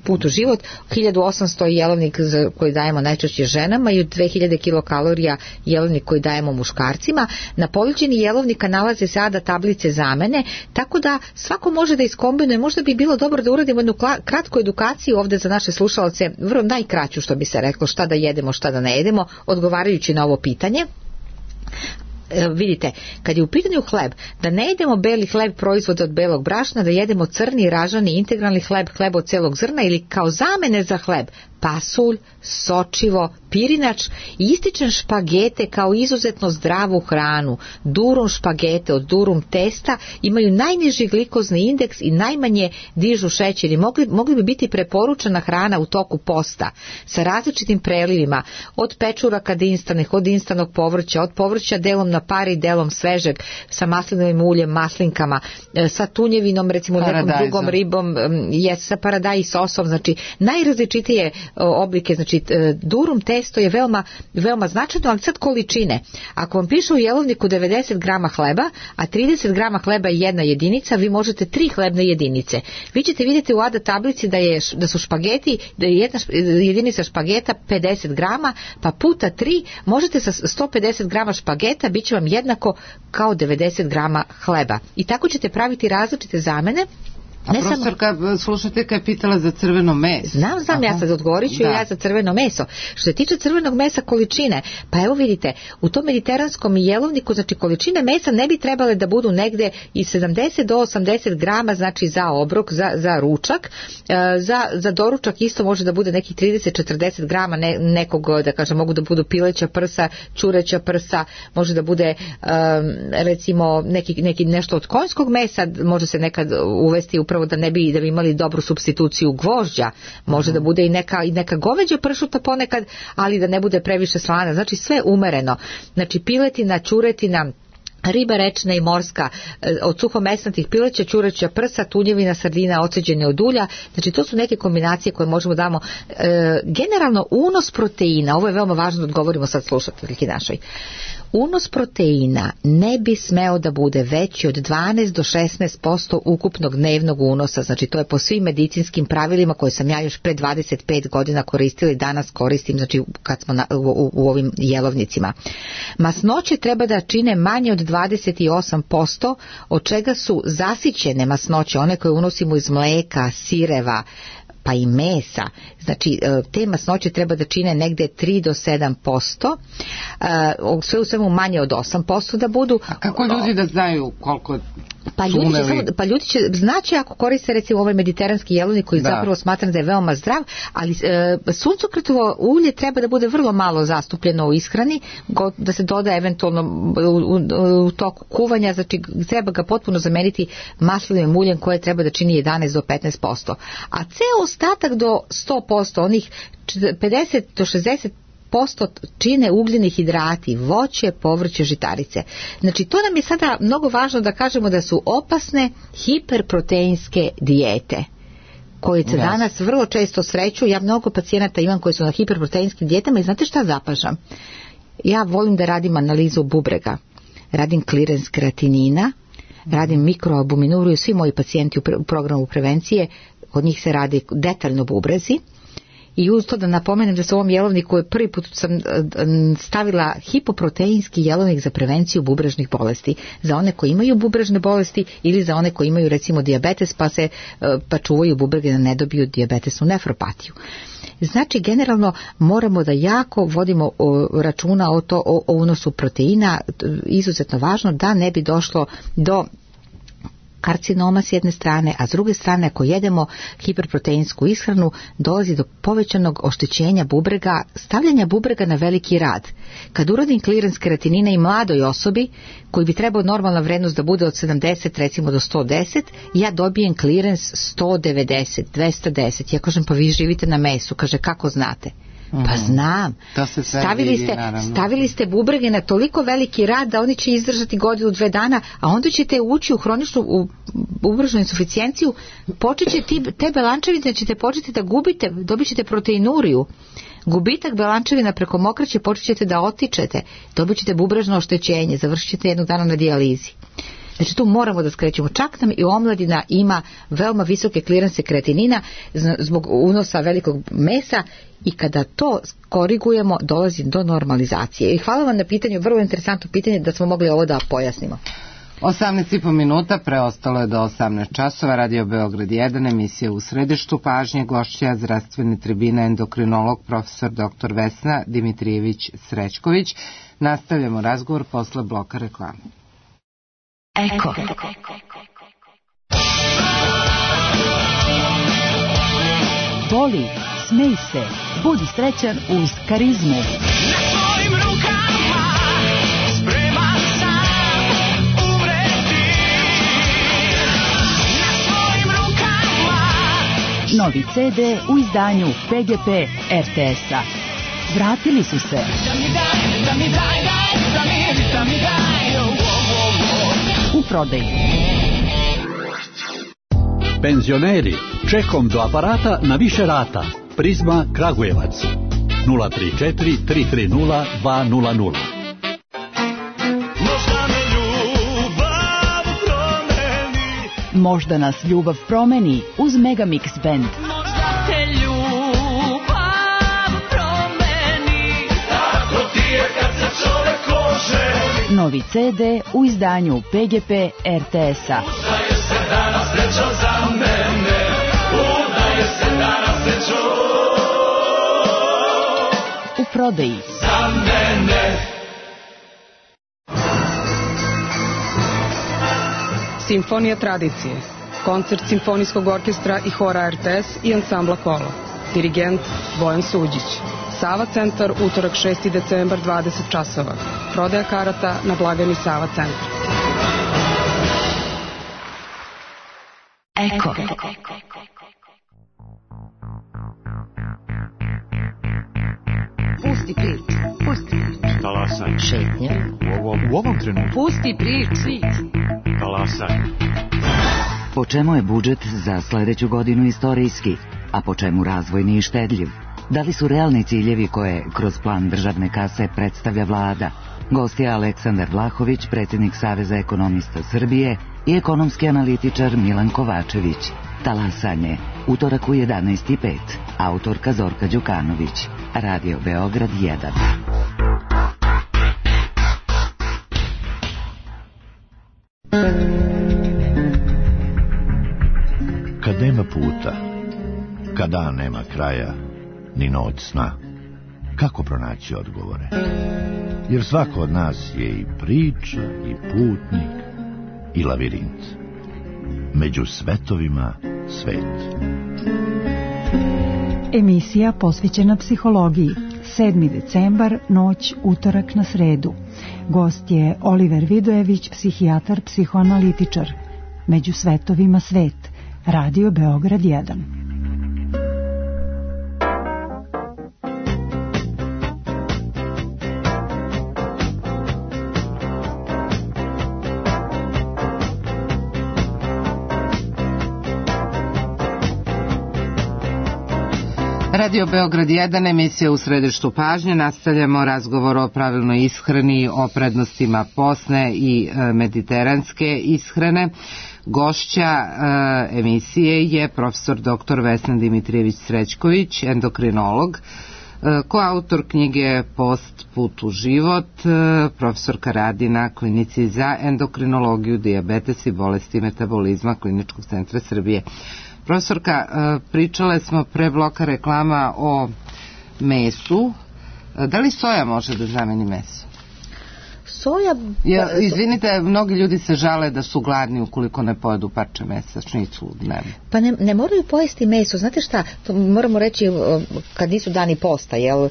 put u život, 1800 jelovnik koji dajemo najčešće ženama i 2000 kilokalorija jelovnik koji dajemo muškarcima. Na ponuđeni jelovnika nalaze se ADA tablice zamene, tako da svako može da iskombinuje. Možda bi bilo dobro da uradimo jednu kratku edukaciju ovde za naše slušalce, vrlo najkraću što bi se reklo, šta da jedemo, šta da ne jedemo, odgovarajući na ovo pitanje. Vidite, kad je u pitanju hleb, da ne jedemo beli hleb proizvode od belog brašna, da jedemo crni, ražani, integralni hleb, hleb od celog zrna ili kao zamene za hleb, pasulj, sočivo, pirinač i ističem špagete kao izuzetno zdravu hranu. Durum špagete od durum testa imaju najniži glikozni indeks i najmanje dižu šećer i mogli bi biti preporučena hrana u toku posta sa različitim prelivima, od pečuraka dinstanih, od dinstanog povrća, od povrća delom na pari, delom svežeg, sa maslinovim uljem, maslinkama, sa tunjevinom, recimo nekom drugom ribom, sa paradajz sosom, znači najrazličitije oblike, znači durum testo je veoma značajno, ali sad količine. Ako vam piše u jelovniku 90 grama hleba, a 30 grama hleba je jedna jedinica, vi možete 3 hlebne jedinice. Vi ćete vidjeti u ADA tablici da su špageti, da je jedna jedinica špageta 50 grama, pa puta 3 možete sa 150 grama špageta bit će vam jednako kao 90 grama hleba. I tako ćete praviti različite zamene. A profesorka, slušajte, kad je pitala za crveno meso. Znam, ja sad odgovorit ću ja za crveno meso. Što se tiče crvenog mesa količine, pa evo vidite, u tom mediteranskom jelovniku, znači količine mesa ne bi trebale da budu negde i 70 do 80 grama, znači za obrok, za ručak. Za doručak isto može da bude nekih 30-40 grama nekog, da kažem, mogu da budu pileća prsa, ćureća prsa, može da bude recimo nešto od konjskog mesa, može se nekad uvesti upravo da ne bi imali dobru supstituciju gvožđa, može da bude i neka goveđa pršuta ponekad, ali da ne bude previše slana, znači sve umereno, znači piletina, ćuretina, riba rečna i morska, od suhomesnatih pileća, ćureća prsa, tunjevina, sardina, oceđene od ulja, znači to su neke kombinacije koje možemo damo. Generalno unos proteina, ovo je veoma važno da odgovorimo sad slušateljki našoj. Unos proteina ne bi smeo da bude veći od 12 do 16% ukupnog dnevnog unosa, znači to je po svim medicinskim pravilima koje sam ja još pre 25 godina koristila i danas koristim, znači kad smo u ovim jelovnicima. Masnoće treba da čine manje od 28%, od čega su zasićene masnoće, one koje unosimo iz mleka, sireva, pa i mesa, znači te masnoće treba da čine negde 3 do 7%, sve u svemu manje od 8% da budu. A kako ljudi da znaju Pa ljudi će znaći ako koriste recimo ovaj mediteranski jelovnik koji zapravo smatram da je veoma zdrav, ali suncokretovo ulje treba da bude vrlo malo zastupljeno u ishrani, da se doda eventualno u toku kuvanja, znači treba ga potpuno zameniti maslinovim uljem koje treba da čini 11 do 15%. A ceo ostatak do 100%, onih 50 do 60% čine ugljeni hidrati, voće, povrće, žitarice. Znači to nam je sada mnogo važno da kažemo da su opasne hiperproteinske dijete koje se danas vrlo često sreću. Ja mnogo pacijenata imam koji su na hiperproteinskim dijetama i znate šta zapažam? Ja volim da radim analizu bubrega, radim clearance kreatinina, radim mikroalbuminuru i svi moji pacijenti u programu prevencije, od njih se radi detaljno bubrezi. I uz to da napomenem da se u ovom jelovniku prvi put sam stavila hipoproteinski jelovnik za prevenciju bubrežnih bolesti. Za one koji imaju bubrežne bolesti ili za one koji imaju recimo dijabetes pa čuvaju bubrege da ne dobiju dijabetesnu nefropatiju. Znači generalno moramo da jako vodimo računa o unosu proteina, izuzetno važno da ne bi došlo do karcinoma s jedne strane, a s druge strane ako jedemo hiperproteinsku ishranu dolazi do povećanog oštećenja bubrega, stavljanja bubrega na veliki rad. Kad uradim clearance kreatinina i mladoj osobi koji bi trebao normalna vrednost da bude od 70 recimo do 110, ja dobijem clearance 190, 210. Ja kažem pa vi živite na mesu, kaže kako znate? Pa znam. Stavili ste bubrege na toliko veliki rad da oni će izdržati godinu, 2 dana, a onda ćete ući u hroničnu bubrežnu insuficijenciju, počet će te belančevine ćete početi da gubite, dobit ćete proteinuriju. Gubitak belančevina preko mokraće počet ćete da otičete, dobit ćete bubrežno oštećenje, završit ćete jednog dana na dijalizi. Znači tu moramo da skrećemo. Čak nam i omladina ima veoma visoke kliranse kreatinina zbog unosa velikog mesa i kada to korigujemo dolazi do normalizacije. I hvala vam na pitanju, vrlo interesantno pitanje da smo mogli ovo da pojasnimo. 18,5 minuta, preostalo je do 18 časova, Radio Beograd 1, emisija U središtu pažnje, gošća zdravstvene tribine, endokrinolog, profesor dr. Vesna Dimitrijević-Srećković. Nastavljamo razgovor posle bloka reklame. Eko. Voli, smej se, budi srećan uz karizmu. Na svojim rukama spreman sam umreti. Na svojim rukama. Novi CD u izdanju PGP RTS-a. Vratili su se. U prodaji. Penzioneri, čekom do aparata na više rata. Prizma Kragujevac 034 330 200. Možda nas ljubav promeni uz Megamix Band. Možda te ljubav promeni. Tako ti je kad se čovek oženi. Novi CD u izdanju PGP RTS-a. Udaje se danas srećo za mene. Udaje se danas srećo. U prodaji. Za mene. Simfonija tradicije. Koncert Simfonijskog orkestra i hora RTS i ansambla Kolo. Dirigent Bojan Suđić. Sava centar, utorak 6. decembar, 20 časova. Prodaja karata na blagajni Sava centar. Eko. Pusti priču. Pusti priču. Talasaj. Šetnja. U ovom trenutku. Pusti priču. Talasaj. Po čemu je budžet za sledeću godinu istorijski, a po čemu razvojni i štedljiv? Da li su realni ciljevi koje kroz plan državne kase predstavlja vlada? Gost je Aleksandar Vlahović, predsjednik Saveza ekonomista Srbije i ekonomski analitičar Milan Kovačević. Talasanje, utorak u 11:05. Autorka Zorka Đukanović. Radio Beograd 1. Kad nema puta, kad dan nema kraja, ni noć sna, kako pronaći odgovore? Jer svako od nas je i priča, i putnik, i lavirint. Među svetovima svet. Emisija posvećena psihologiji. 7. decembar, noć, utorak na sredu. Gost je Oliver Vidojević, psihijatar, psihoanalitičar. Među svetovima svet. Radio Beograd 1. Radio Beograd 1, emisija U središtu pažnje. Nastavljamo razgovor o pravilnoj ishrani, o prednostima posne i mediteranske ishrane. Gošća emisije je profesor dr. Vesna Dimitrijević-Srećković, endokrinolog, koautor knjige Post, put u život, profesorka radi na klinici za endokrinologiju, dijabetes i bolesti metabolizma Kliničkog centra Srbije. Profesorka, pričale smo pre bloka reklama o mesu. Da li soja može da zameni meso? Soja... Izvinite, mnogi ljudi se žale da su gladni ukoliko ne pojedu parče mesa, šnicu dnevno. Pa ne moraju pojesti meso. Znate šta, to moramo reći kad nisu dani posta, jel?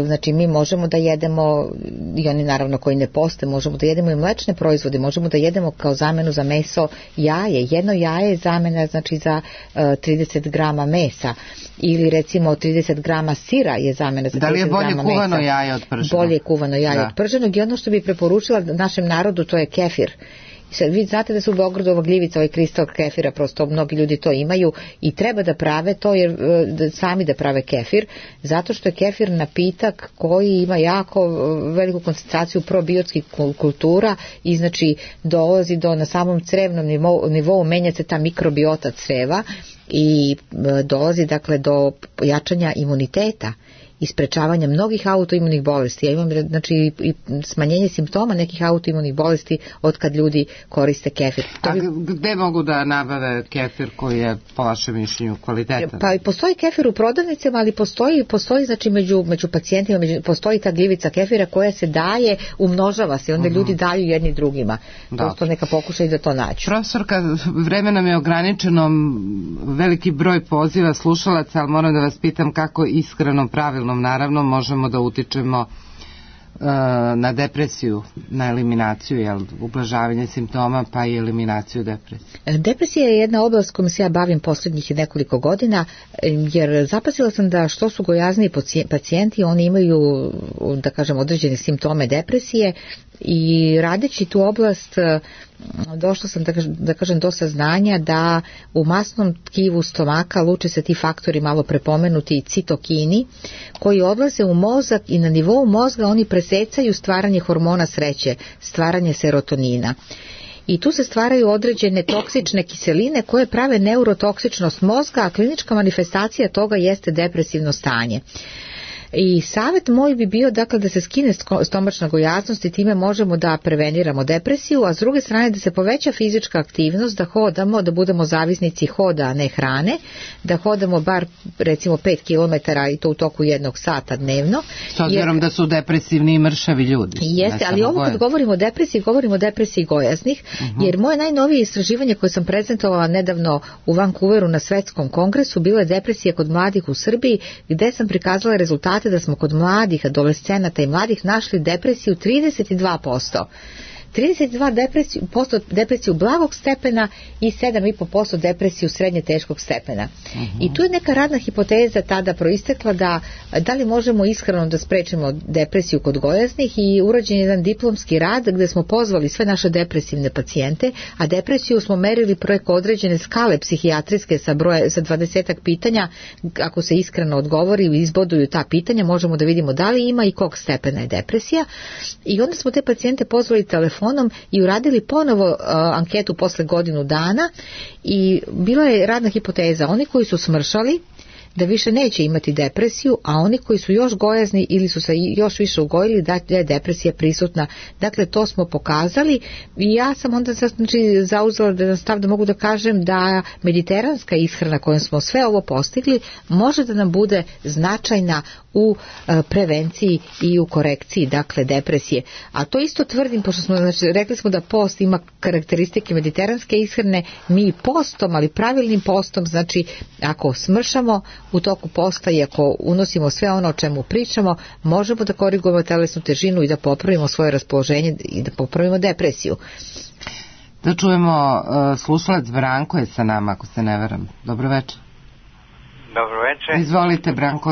Znači mi možemo da jedemo, i oni naravno koji ne poste, možemo da jedemo i mlečne proizvode, možemo da jedemo kao zamenu za meso jaje. Jedno jaje je zamena znači za 30 grama mesa, ili recimo 30 grama sira je zamena za 30 grama mesa. Da li je bolje kuvano jaje od prženog? Bolje kuvano jaje od prženog, i ono što bi preporučila našem narodu, to je kefir. Sad, vi znate da su u Beogradu ova gljivica, ovaj kristal kefira, prosto mnogi ljudi to imaju i treba da prave to, jer sami da prave kefir, zato što je kefir napitak koji ima jako veliku koncentraciju probiotskih kultura i znači dolazi do, na samom crevnom nivou menja se ta mikrobiota creva i dolazi dakle do jačanja imuniteta i sprečavanja mnogih autoimunih bolesti. Ja imam znači i smanjenje simptoma nekih autoimunih bolesti od kad ljudi koriste kefir. Gde mogu da nabave kefir koji je po vašem mišljenju kvalitetan? Pa postoji kefir u prodavnicama, ali postoji znači među pacijentima postoji ta gljivica kefira koja se daje, umnožava se, onda ljudi daju jedni drugima. Prosto neka pokušaju da to nađu. Profesorka, vreme nam je ograničeno, veliki broj poziva slušalaca, ali moram da vas pitam kako iskreno, pravilno naravno možemo da utičemo na depresiju, na eliminaciju, ublažavanje simptoma pa i eliminaciju depresije. Depresija je jedna oblast kojom se ja bavim posljednjih nekoliko godina, jer zapazila sam da što su gojazniji pacijenti, oni imaju, da kažem, određene simptome depresije, i radeći tu oblast došla sam da kažem do saznanja da u masnom tkivu stomaka luče se ti faktori malo prepomenuti citokini koji odlaze u mozak i na nivou mozga oni presecaju stvaranje hormona sreće, stvaranje serotonina. I tu se stvaraju određene toksične kiseline koje prave neurotoksičnost mozga, a klinička manifestacija toga jeste depresivno stanje. I savjet moj bi bio dakle da se skine stomačna gojaznost i time možemo da preveniramo depresiju, a s druge strane da se poveća fizička aktivnost, da hodamo, da budemo zavisnici hoda, a ne hrane, da hodamo bar recimo 5 km i to u toku 1 sata dnevno. S obzirom da su depresivni i mršavi ljudi. Jeste, ali ovo kad govorimo o depresiji gojaznih, jer moje najnovije istraživanje koje sam prezentovala nedavno u Vancouveru na svetskom kongresu bilo je depresija kod mladih u Srbiji, gde sam prikazala rezultate da smo kod mladih, adolescenata i mladih našli depresiju 32%. 32% depresiju blagog stepena i 7,5% depresiju srednje teškog stepena. I tu je neka radna hipoteza tada proistekla da li možemo ishrano da sprečimo depresiju kod gojaznih, i urađen je jedan diplomski rad gde smo pozvali sve naše depresivne pacijente, a depresiju smo merili preko određene skale psihijatrijske sa 20 pitanja. Ako se iskreno odgovori i izboduju ta pitanja, možemo da vidimo da li ima i kog stepena je depresija, i onda smo te pacijente pozvali telefonom i uradili ponovo anketu posle godinu dana, i bila je radna hipoteza: oni koji su smršali da više neće imati depresiju, a oni koji su još gojazni ili su se još više ugojili da je depresija prisutna. Dakle, to smo pokazali, i ja sam onda zauzela stav da mogu da kažem da mediteranska ishrana kojom smo sve ovo postigli može da nam bude značajna u prevenciji i u korekciji, dakle, depresije. A to isto tvrdim, pošto smo, znači, rekli smo da post ima karakteristike mediteranske ishrane, mi postom, ali pravilnim postom, znači ako smršamo u toku posta i ako unosimo sve ono o čemu pričamo, možemo da korigujemo telesnu težinu i da popravimo svoje raspoloženje i da popravimo depresiju. Da čujemo, slušalac Branko je sa nama, ako se ne varam. Dobro večer. Dobro večer. Izvolite, Branko.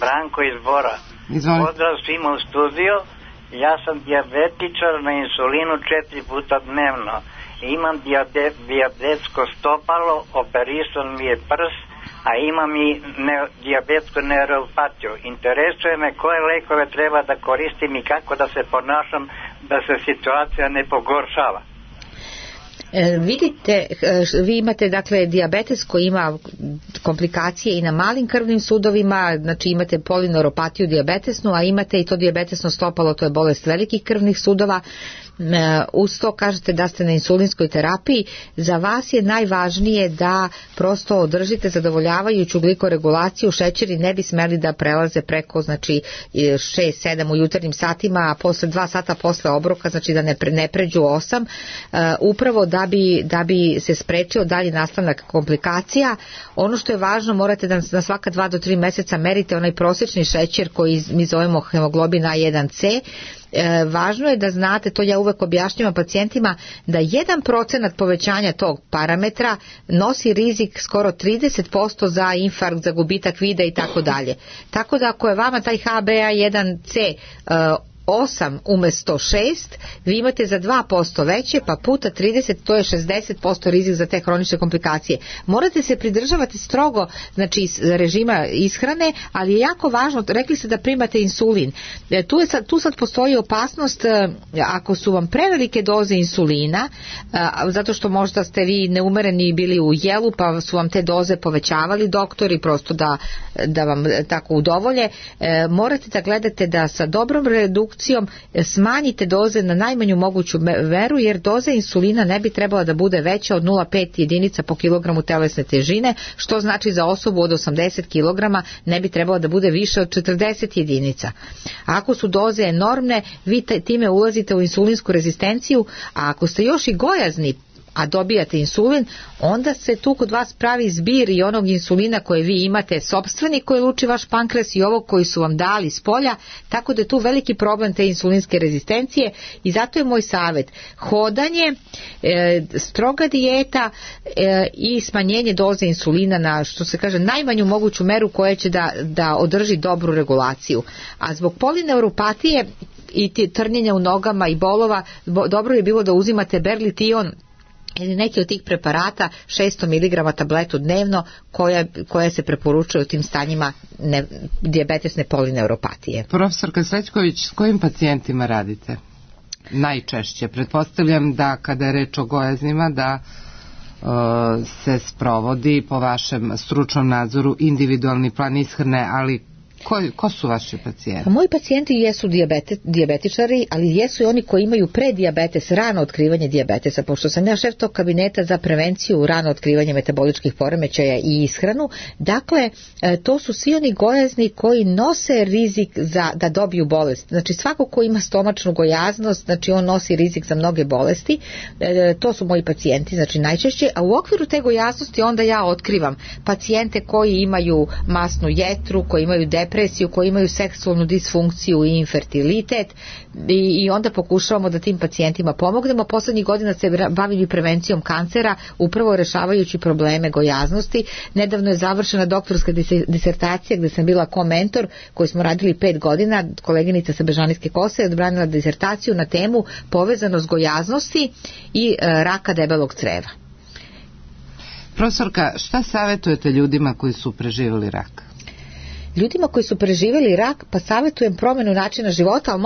Branko iz Bora. Izvolite. Pozdrav svima u studio. Ja sam dijabetičar na insulinu 4 puta dnevno. Imam dijabetsko stopalo, operisan mi je prst, a imam i dijabetsku neuropatiju. Interesuje me koje lekove treba da koristim i kako da se ponašam da se situacija ne pogoršava. Vidite, vi imate dakle dijabetes koji ima komplikacije i na malim krvnim sudovima, znači imate polineuropatiju dijabetesnu, a imate i to dijabetesno stopalo, to je bolest velikih krvnih sudova. Uz to kažete da ste na insulinskoj terapiji, za vas je najvažnije da prosto održite zadovoljavajuću glikoregulaciju, šećeri ne bi smeli da prelaze preko, znači 6-7 u jutarnjim satima, a posle 2 sata posle obroka, znači da ne pređu 8, upravo da bi se sprečio dalji nastavak komplikacija. Ono što je važno, morate da na svaka 2 do 3 meseca merite onaj prosječni šećer koji mi zovemo hemoglobin A1C. Važno je da znate, to ja uvek objašnjavam pacijentima, da 1% povećanja tog parametra nosi rizik skoro 30% za infarkt, za gubitak vida i tako dalje. Tako da ako je vama taj HbA1c 8 umesto 6, vi imate za 2% veće, pa puta 30, to je 60% rizik za te hronične komplikacije. Morate se pridržavati strogo, znači režima ishrane, ali je jako važno, rekli ste da primate insulin. Tu sad postoji opasnost ako su vam prevelike doze insulina, zato što možda ste vi neumereni bili u jelu, pa su vam te doze povećavali doktori, prosto da vam tako udovolje. Morate da gledate da sa dobrom redukcijom smanjite doze na najmanju moguću meru, jer doza insulina ne bi trebala da bude veća od 0,5 jedinica po kilogramu telesne težine, što znači za osobu od 80 kg ne bi trebala da bude više od 40 jedinica. Ako su doze enormne, vi time ulazite u insulinsku rezistenciju, a ako ste još i gojazni, a dobijate insulin, onda se tu kod vas pravi zbir i onog insulina koje vi imate sopstveni, koji luči vaš pankreas, i ovog koji su vam dali s polja, tako da je tu veliki problem te insulinske rezistencije. I zato je moj savjet hodanje, stroga dijeta i smanjenje doze insulina na, što se kaže, najmanju moguću meru koja će da održi dobru regulaciju. A zbog polineuropatije i trnjenja u nogama i bolova, dobro je bilo da uzimate berlition ili neki od tih preparata, 600 mg tabletu dnevno, koja se preporučuje u tim stanjima dijabetesne polineuropatije. Profesorka Srećković, s kojim pacijentima radite? Najčešće. Pretpostavljam da kada je reč o gojaznima da se sprovodi po vašem stručnom nadzoru individualni plan ishrane, ali ko su vaši pacijenti? Moji pacijenti jesu dijabetičari, ali jesu i oni koji imaju predijabetes, rano otkrivanje dijabetesa, pošto sam ja šef tog kabineta za prevenciju rano otkrivanje metaboličkih poremećaja i ishranu. Dakle, to su svi oni gojazni koji nose rizik da dobiju bolest. Znači svako ko ima stomačnu gojaznost, znači on nosi rizik za mnoge bolesti. To su moji pacijenti, znači najčešće, a u okviru te gojaznosti onda ja otkrivam pacijente koji imaju masnu jetru, koji imaju depresiju, koji imaju seksualnu disfunkciju i infertilitet, i onda pokušavamo da tim pacijentima pomognemo. Poslednjih godina se bavim i prevencijom kancera, upravo rešavajući probleme gojaznosti. Nedavno je završena doktorska disertacija gde sam bila komentor, koju smo radili 5 godina, koleginica sa Bežanijske Kose je odbranila disertaciju na temu povezanost gojaznosti i raka debelog creva. Profesorka, šta savjetujete ljudima koji su preživjeli rak? Ljudima koji su preživjeli rak, pa savjetujem promjenu načina života, ali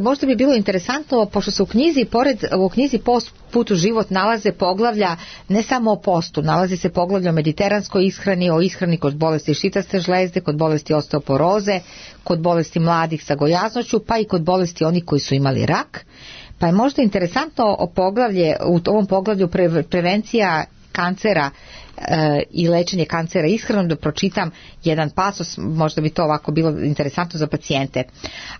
možda bi bilo interesantno, pošto se u knjizi Post, put u život nalaze poglavlja ne samo o postu, nalazi se poglavlja o mediteranskoj ishrani, o ishrani kod bolesti šitaste žlezde, kod bolesti osteoporoze, kod bolesti mladih sa gojaznošću, pa i kod bolesti onih koji su imali rak. Pa je možda interesantno u ovom poglavlju prevencija kancera i lečenje kancera ishranom, da pročitam jedan pasos, možda bi to ovako bilo interesantno za pacijente.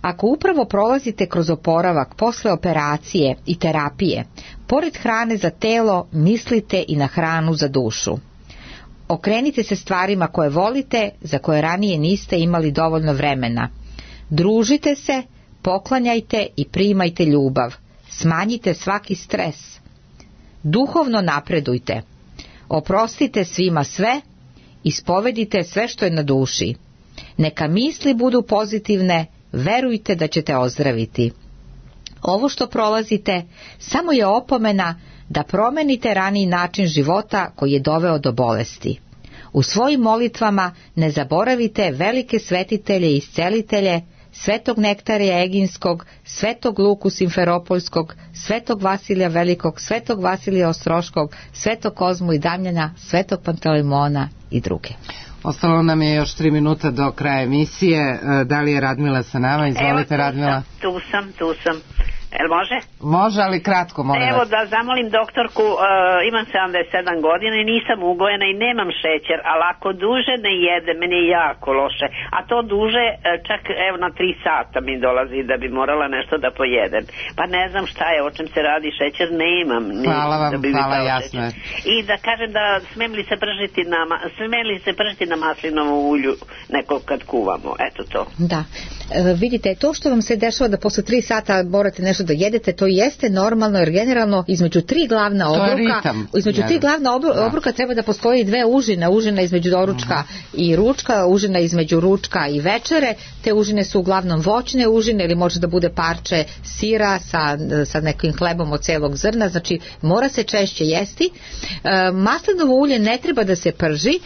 Ako upravo prolazite kroz oporavak posle operacije i terapije, pored hrane za telo mislite i na hranu za dušu. Okrenite se stvarima koje volite, za koje ranije niste imali dovoljno vremena. Družite se, poklanjajte i primajte ljubav. Smanjite svaki stres. Duhovno napredujte. Oprostite svima sve, ispovedite sve što je na duši. Neka misli budu pozitivne, verujte da ćete ozdraviti. Ovo što prolazite samo je opomena da promenite raniji način života koji je doveo do bolesti. U svojim molitvama ne zaboravite velike svetitelje i iscelitelje, Svetog Nektarija Eginskog, Svetog Luku Simferopoljskog, Svetog Vasilija Velikog, Svetog Vasilija Ostroškog, Svetog Kozmu i Damjana, Svetog Pantelimona i druge. Ostalo nam je još 3 minuta do kraja emisije. Da li je Radmila sa nama? Izvolite, Radmila. Tu sam. Jel može? Može, ali kratko, molim vas. Evo da zamolim doktorku, imam 77 godina i nisam ugojena i nemam šećer, ali ako duže ne jede, meni je jako loše. A to duže, čak evo na 3 sata mi dolazi da bi morala nešto da pojedem. Pa ne znam šta je, o čem se radi, šećer nemam. Hvala vam, hvala, jasno je. I da kažem da smem li se pržiti na maslinovu ulju neko kad kuvamo, eto to. Da, vidite, to što vam se dešava da posle 3 sata morate nešto da jedete, to jeste normalno, jer generalno između 3 glavna obroka treba da postoji 2 užine, užina između doručka i ručka, užina između ručka i večere. Te užine su uglavnom voćne užine ili može da bude parče sira sa nekim hlebom od celog zrna, znači mora se češće jesti. Maslinovo ulje ne treba da se prži,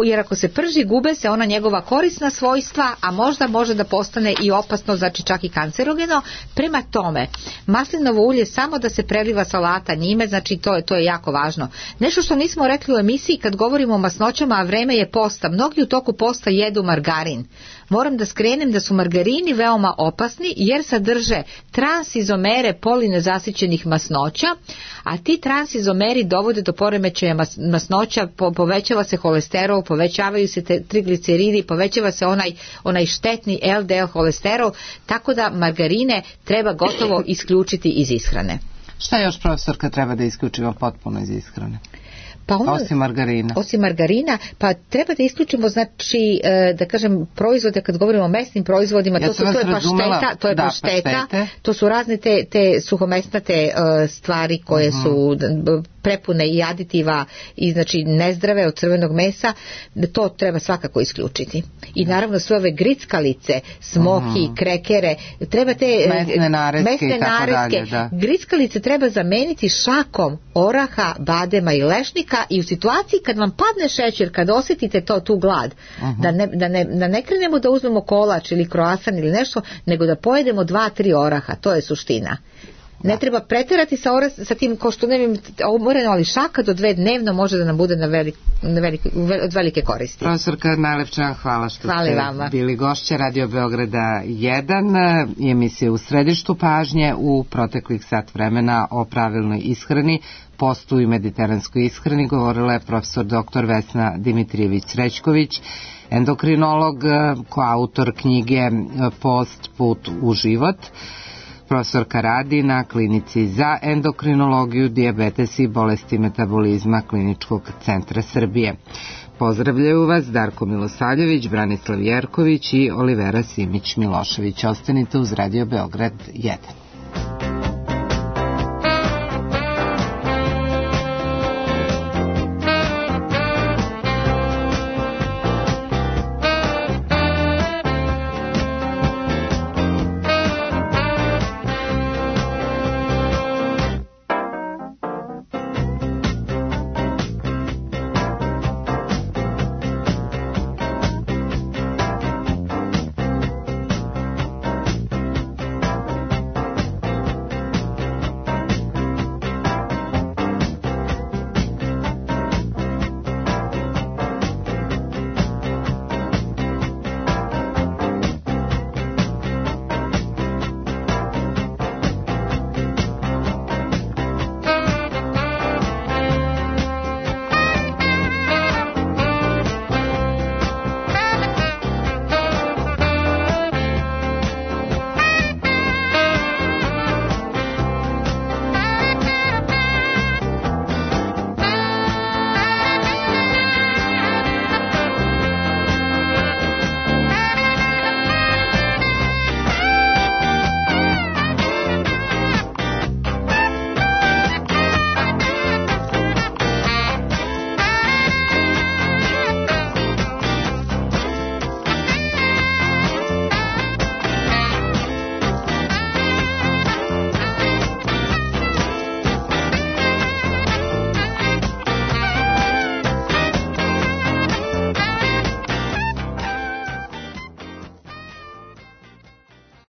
jer ako se prži gube se ona njegova korisna svojstva, a možda može da postane i opasno, znači čak i kancerogeno. Prema tome, maslinovo ulje samo da se preliva salata njime, znači to je jako važno. Nešto što nismo rekli u emisiji kad govorimo o masnoćama, a vreme je posta, mnogi u toku posta jedu margarin. Moram da skrenem da su margarini veoma opasni jer sadrže transizomere polinezasićenih masnoća, a ti transizomeri dovode do poremećaja masnoća, povećava se holesterol, povećavaju se trigliceridi, povećava se onaj štetni LDL holesterol, tako da margarine treba gotovo isključiti iz ishrane. Šta još, profesorka, treba da isključimo potpuno iz ishrane? Osim margarina, pa treba da isključimo, znači, da kažem, proizvode, kad govorimo o mesnim proizvodima, to je pašteta, to su razne te suhomesnate stvari koje su prepune i aditiva i znači nezdrave od crvenog mesa, to treba svakako isključiti. I naravno sve ove grickalice, smoki, krekere, treba te mesne nareske. Grickalice treba zameniti šakom oraha, badema i lešnika i u situaciji kad vam padne šećer, kad osjetite tu glad, da ne krenemo da uzmemo kolač ili kroasan ili nešto, nego da pojedemo 2-3 oraha, to je suština. Ne treba preterati sa tim, ko što umoreno, ali šaka do 2 dnevno može da nam bude od velike koristi. Profesorka, najlepše vam hvala što ste bili gošće Radio Beograda 1 i emisije U središtu pažnje u proteklih sat vremena o pravilnoj ishrani, postu i mediteranskoj ishrani govorila je profesor dr. Vesna Dimitrijević-Srećković, endokrinolog, koautor knjige Post, put u život. Profesorka radi na klinici za endokrinologiju, dijabetes i bolesti metabolizma Kliničkog centra Srbije. Pozdravljaju vas Darko Milosavljević, Branislav Jerković i Olivera Simić-Milošević. Ostanite uz Radio Beograd 1.